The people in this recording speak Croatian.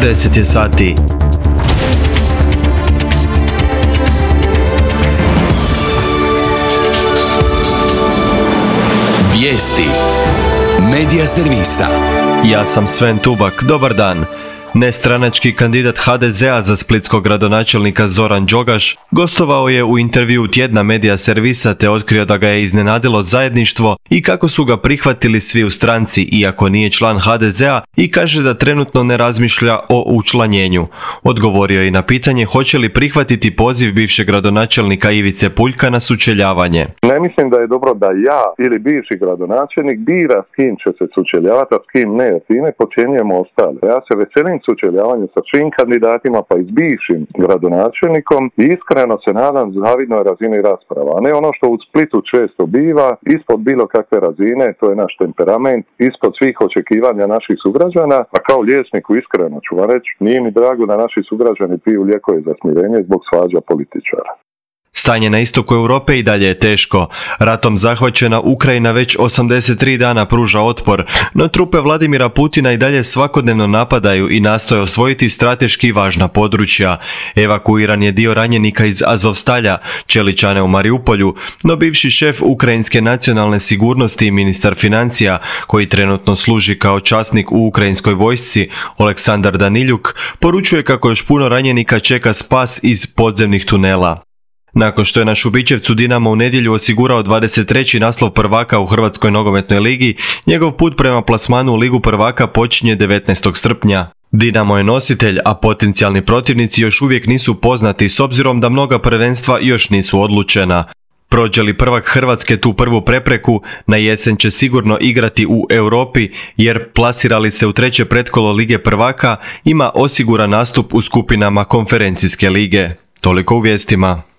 10 je sati. Vijesti Medija servisa. Ja sam Sven Tubak, dobar dan. Nestranački kandidat HDZ-a za splitskog gradonačelnika Zoran Đogaš gostovao je u intervjuu tjedna Medija servisa te otkrio da ga je iznenadilo zajedništvo i kako su ga prihvatili svi u stranci iako nije član HDZ-a i kaže da trenutno ne razmišlja o učlanjenju. Odgovorio je i na pitanje hoće li prihvatiti poziv bivšeg gradonačelnika Ivice Puljka na sučeljavanje. Ne mislim da je dobro da ja ili bivši gradonačelnik bira s kim će se sučeljavati, a s kim ne, jer time podcjenjujemo ostale. Ja se veselim sučeljavanju sa svim kandidatima pa i s bivšim gradonačelnikom i iskreno se nadam zavidnoj razini rasprava, a ne ono što u Splitu često biva, ispod bilo kakve razine, to je naš temperament, ispod svih očekivanja naših sugrađana, a kao liječniku iskreno ću vam reći, nije mi drago da naši sugrađani piju lijekove za smirenje zbog svađa političara. Stanje na istoku Europe i dalje je teško. Ratom zahvaćena Ukrajina već 83 dana pruža otpor, no trupe Vladimira Putina i dalje svakodnevno napadaju i nastoje osvojiti strateški važna područja. Evakuiran je dio ranjenika iz Azovstalja, čeličane u Mariupolju, no bivši šef ukrajinske nacionalne sigurnosti i ministar financija, koji trenutno služi kao časnik u ukrajinskoj vojsci, Oleksandar Daniljuk, poručuje kako još puno ranjenika čeka spas iz podzemnih tunela. Nakon što je na Šubićevcu Dinamo u nedjelju osigurao 23. naslov prvaka u Hrvatskoj nogometnoj ligi, njegov put prema plasmanu u Ligu prvaka počinje 19. srpnja. Dinamo je nositelj, a potencijalni protivnici još uvijek nisu poznati s obzirom da mnoga prvenstva još nisu odlučena. Prođe li prvak Hrvatske tu prvu prepreku, na jesen će sigurno igrati u Europi jer plasirali se u treće pretkolo Lige prvaka, ima osiguran nastup u skupinama konferencijske lige. Toliko u vijestima.